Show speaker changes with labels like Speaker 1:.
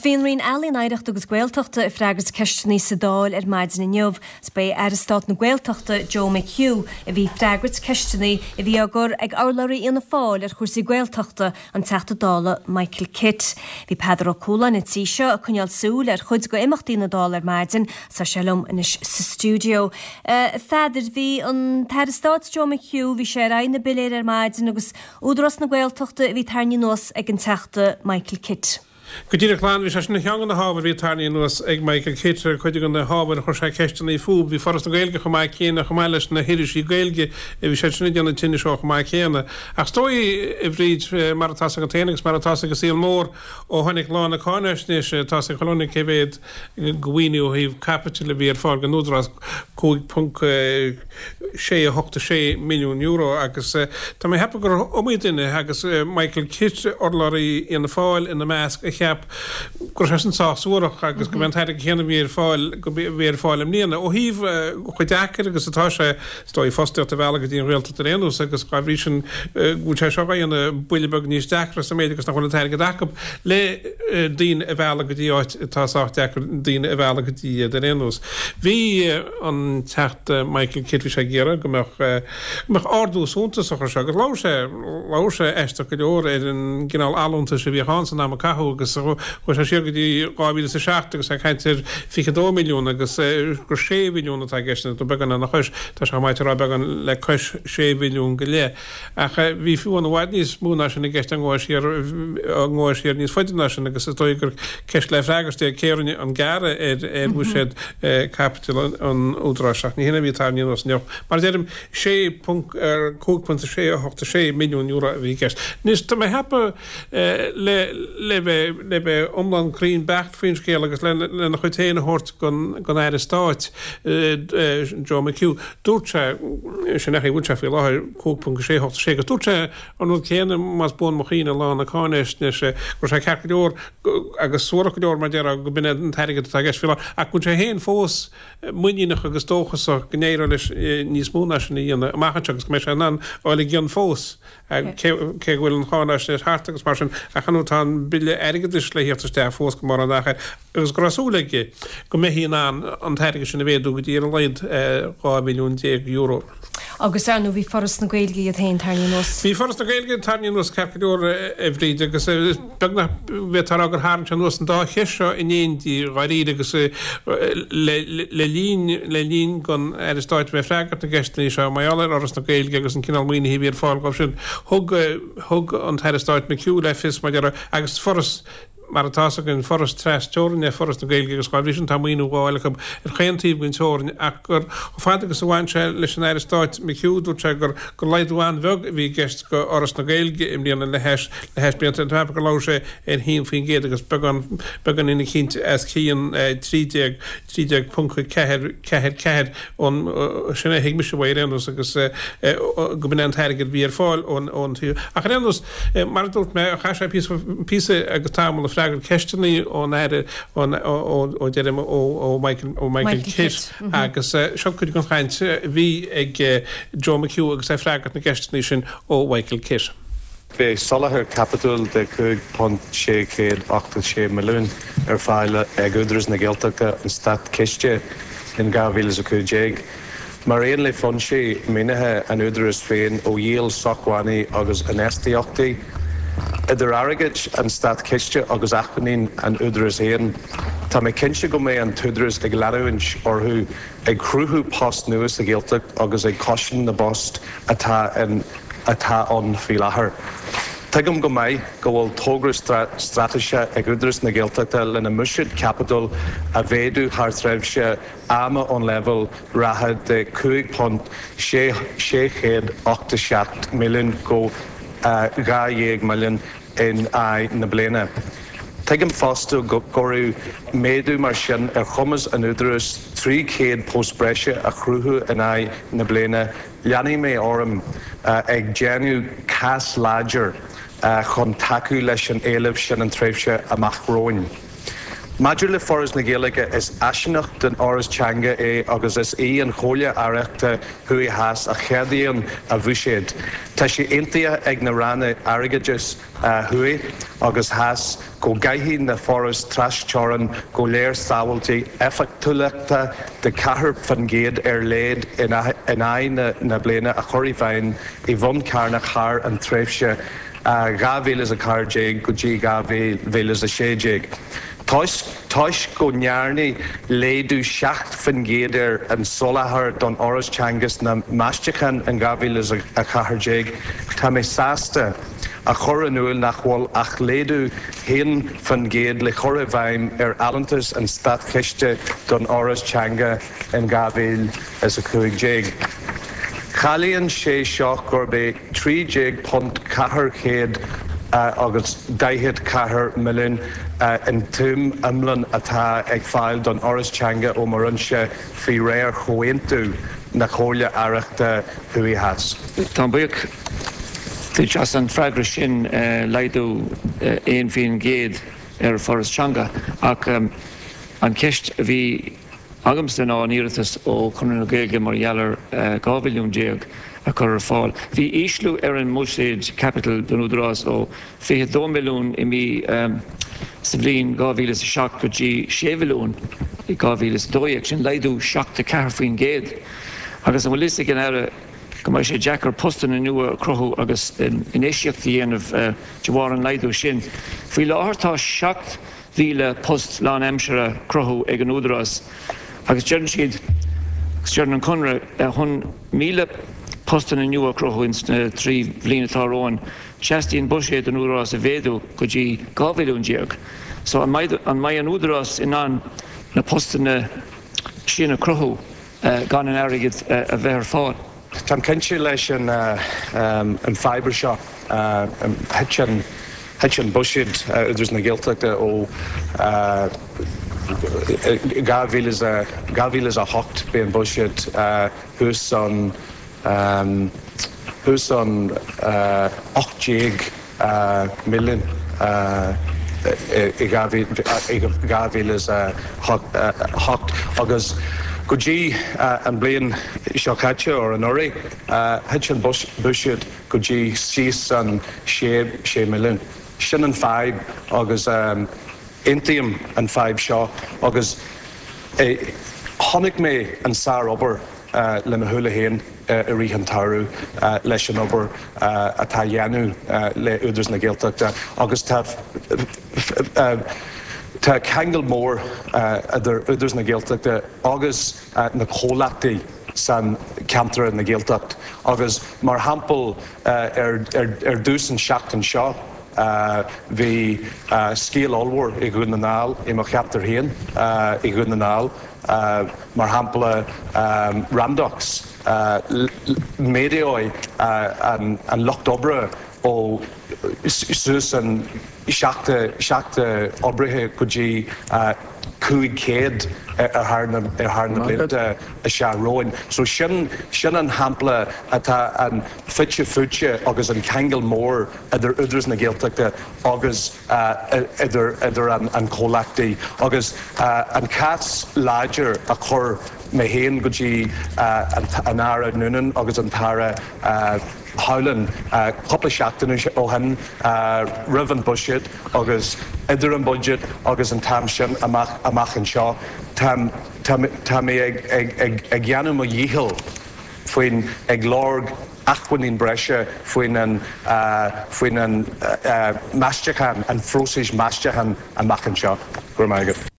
Speaker 1: Bhí an Roinn Ealaíon, Oidhreachta agus Gaeltachta ag freagairt ceisteanna sa Dáil ar maidin inniu. Is ba é Aire Stáit na Gaeltachta, Joe McHugh, a bhí ag freagairt ceisteanna a bhí á gcur ag urlabhraí Fhianna Fáil ar chúrsaí Gaeltachta, an Teachta Dála Michael Kitt. Bhí Peadar Ó Cualáin an tí seo ag coinneáil súil ar chuid de imeachtaí na Dála ar maidin. Tá sé liom anois sa stiúideo. A Pheadair, bhí an tAire Stáit Joe McHugh, bhí sé ar aghaidh na bpiléar ar maidin agus Údarás na Gaeltachta a bhí tarraingthe anuas ag an Teachta Michael Kitt.
Speaker 2: Go díreach a Shláine, bhí sé sin ar cheann de na hábhair a bhí tarraingthe anuas ag Michael Kitt ar chuid de na hábhair a chuir sé ceisteanna fúthu. Bhí Foras na Gaeilge chomh maith céanna, chomh maith leis na hirisí Gaeilge, bhí siad sin ag déanamh tinnis ó chomh maith céanna. Ach is dóigh, a Bhríd, mar atá 's agat féin agus mar atá 's ag an saol mór, ó tháinig lá na cáinaisnéise, tá 's ag chuile dhuine cé mhéad de mhaoiniú ó thaobh caipitil a bhí ar fáil don Údarás, €5.686 milliún agus tá mé ag ceapadh gur iomaí duine, agus Michael Kitt, urlabhraí Fhianna Fáil ina measc, a cheap go raibh sé sin sách suarach agus go mb'é an t-airgead céanna a bhí ar fáil go bhí ar fáil i mbliana. Ó thaobh chomh deacair agus atá sé, Is dóigh fostaíocht a mhealladh go dtí an Ghaeltacht ar aon nós agus dá bhrí sin go bhfuil sé seo á dhéanamh buille beag níos deacra sa méid agus nach bhfuil an t-airgead acu le daoine a mhealladh go dtí áit atá sách deacair daoine a mhealladh go dtí iad ar aon nós. Bhí an Teachta Michael Kitt, bhí sé ag iarraidh go mbeadh go mbeadh ardú suntasach ar seo agus labhair sé labhair sé aisteach go leor ar an gcineál allúntais a bhíodh ann san am a caitheadh agus chuaigh sé siar go dtí 2007 agus é ag caint ar 22 milliún agus gur 6 mhilliún atá i gceist nó beagán lena chois, tá sé chomh maith a rá beagán le cois sé mhilliún go leith. Ach bhí fiú amháin i bhfad níos mó ná sin i gceist dá ngabhfá siar, dá ngabhfá siar níos faide ná sin agus is dóigh gur ceist le freagairt é cé a rinne an gearradh ar ar bhuiséad caipitil an Údaráis ach ní hin a bhí tarraingthe anuas inniu. Mar a deirim, €5.686 milliún a bhí i gceist. Anois, tá mé ag ceapadh le le bheith le bheith iomlán cruinn beacht faoin scéal agus lena chuid féin a thabhairt don Aire Stáit, Joe McHugh, dúirt sé, sin é a bhfuil sé faoi láthair, 5.686 agus dúirt sé an rud céanna, más buan mo chuimhne, lá na cáinaisnéise, go raibh sé ceart go leor agus suarach go leor mar a déarfá go b'in é an t-airgead atá i gceist faoi láthair ach go bhfuil sé féin fós muiníneach agus dóchasach go n-éireoidh leis níos mó ná sin a dhéanamh amach anseo agus go mbeidh sé in ann dul i gcion fós. Cé go bhfuil an cháinaisnéis thart agus mar sin, ach ar ndóigh tá an Bille Airgeadais le thíocht isteach fós go mórán achar agus go raibh súil aige go mbeifí in ann an t-airgead sin a mhéadú go dtí ar a laghad €12 mhilliún.
Speaker 1: Agus ar ndóigh bhí Foras na Gaeilge iad féin tarraingthe anuas.
Speaker 2: Bhí Foras na Gaeilge tarraingthe anuas ceart go leor, a Bhríd, agus beagnach bhféadfá a rá gur tharraing sé anuas an dá cheist seo in éindí dháiríre agus le linn le linn don Aire Stáit bheith ag freagairt na gceisteanna seo mar gheall ar Fhoras na Gaeilge agus an cineál maoinithe a bhí ar fáil dhóibh sin, thug thug an tAire Stáit McHugh le fios mar a déarfá agus foras mar atá 's againn, foras tras-teorainn é Foras na Gaeilge agus dá bhrí sin tá maoiniú á fháil acu ar chaon taobh den teorainn ach gur chomh fada agus a bhain sé leis an Aire Stáit McHugh dúirt sé gur gur laghdú an-bheag a bhí i gceist do Fhoras na Gaeilge i mbliana le hais le hais blianta tá mé ag ceapadh gur labhair sé ar 1% agus beagán beagáinín eicínt os cionn 13 13.4 4 4 ón sin a thuig mise uaidh ar aon nós agus go b'in é an t-airgead a bhí ar fáil ón ón tír. Ach ar aon nós, mar a dúirt mé, chaith sé píosa píosa agus tamall ag freagairt ceisteanna ón Aire ón ó ó deirim ó ó Michael ó Michael Kitt agus seo cuid den chaint a bhí ag Joe McHugh agus é ag freagairt na gceisteanna sin ó Mhichael Kitt.
Speaker 3: Beidh soláthar caipitiúil de €5.686 milliún ar fáil ag Údarás na Gaeltachta ón Státchiste in 2015, mar aon le foinsí maoinithe an Údaráis féin ó dhíol sócmhainní agus infheistíochtaí. Idir airgead an Státchiste agus acmhainní an Údaráis féin, tá mé cinnte go mbeidh an tÚdarás ag leanúint orthu ag cruthú post nua sa Ghaeltacht agus ag cosaint na bpost atá in atá ann faoi láthair. Tuigim go maith go bhfuil togra straitéiseach ag Údarás na Gaeltachta lena mbuiséad caipitil a mhéadú thar thréimhse ama ón leibhéal reatha de €5.687 milliún go €12 milliún in aghaidh na bliana. Tuigim fosta go gcuirfeadh méadú mar sin ar chumas an Údaráis 300 post breise a chruthú in aghaidh na bliana Leanfaidh mé orm ag déanamh cás láidir chun tacú leis an éileamh sin an tréimhse amach romhainn. Maidir le Foras na Gaeilge, is áisíneacht den Fhoras Teanga é agus is í an Chomhairle Aireachta Thuaidh Theas a cheadaíonn a bhuiséad. Tá sé aontaithe ag na Ranna Airgeadais Thuaidh agus Theas go gcaithfidh na forais trasteorann go léir sábháiltí éifeachtúlachta de 4% ar leighad in aghaidh na bliana a chur i bhfeidhm i bhonn carnach thar an tréimhse 2014 go dtí 2016. Toisc go ndearnadh laghdú 7% ar an soláthar don Fhoras Teanga sna Meastacháin in 2014, tá mé sásta a chur in iúl nach bhfuil ach laghdú 1% le cur i bhfeidhm ar fholúntas an Státchiste don Fhoras Teanga in 2015. Ciallaíonn sé seo gurb é £13 444 milliún an tsuim iomlán atá ag fáil don Fhoras Teanga ó mo Roinnse faoi réir chomhaontú na Comhairle Aireachta Thuaidh Theas.
Speaker 4: Táim buíoch duit as an freagra sin, laghdú 1% ar Foras Teanga ach an cheist a bhí agamsa ná an iarratas ó Chonradh na Gaeilge mar gheall ar 12 mhilliún a chur ar fáil. Bhí ísliú ar an mbuiséad caipitil don Údarás ó 22 milliún i mí sa bhliain 2007 go dtí 6 mhilliún i 2012, sin laghdú 74%. Agus an bhfuil fhios ag an Aire go mbeidh sé deacair postanna nua a chruthú agus infheistíocht a dhéanamh de bharr an laghdú sin? Faoi láthair tá 7,000 post lánaimseartha cruthú ag an Údarás agus deireann siad, agus deireann an Conradh, chun 1,000 postanna nua a chruthú ins na 3 bhliain atá romhainn, teastaíonn buiséad an Údaráis a mhéadú go dtí 12 mhilliún. So an mbeidh an mbeidh an Údarás in ann na postanna sin a chruthú gan an airgead a bheith ar fáil?
Speaker 3: Táim cinnte leis an fadhb seo. Thit an thit an buiséad Údarás na Gaeltachta ó 2008 bhí an buiséad thuas an thuas an 18 milliún i 2008 agus go dtí an bliain seo caite or anuraidh thit an buiséad go dtí síos an 6 milliún. Sin an fadhb agus aontaím an fadhb seo agus chonaic mé an sár-obair le mo shúile féin i rith an tsamhraidh leis an obair atá á dhéanamh le Údarás na Gaeltachta agus tá tá ceangal mór idir Údarás na Gaeltachta agus na comhlachtaí san ceantar na Gaeltacht agus mar shampla ar ar dtús an seachtain seo bhí scéal ollmhór i Dhún na nGall i mo cheantar féin i Dhún na nGall Mar shampla, Randox, méadóidh an lucht oibre ó suas an 70 oibrithe go dtí 500 ar thar na blianta isteach romhainn. So sin sin an shampla atá an fite fuaite agus an ceangal mór idir Údarás na Gaeltachta agus idir idir an comhlachtaí agus an cás láidir a chuir mé féin go dtí an Aire Noonan agus an tAire Howlin cúpla seachtain ó shin roimh an buiséad agus idir an buiséad agus an t-am sin amach amach anseo tá tá mé ag ag ag ag dhéanamh mo dhícheall faoin ag lorg acmhainní breise faoin an faoin an meastachán, an phróiseas meastachán amach anseo. Go raibh maith agat.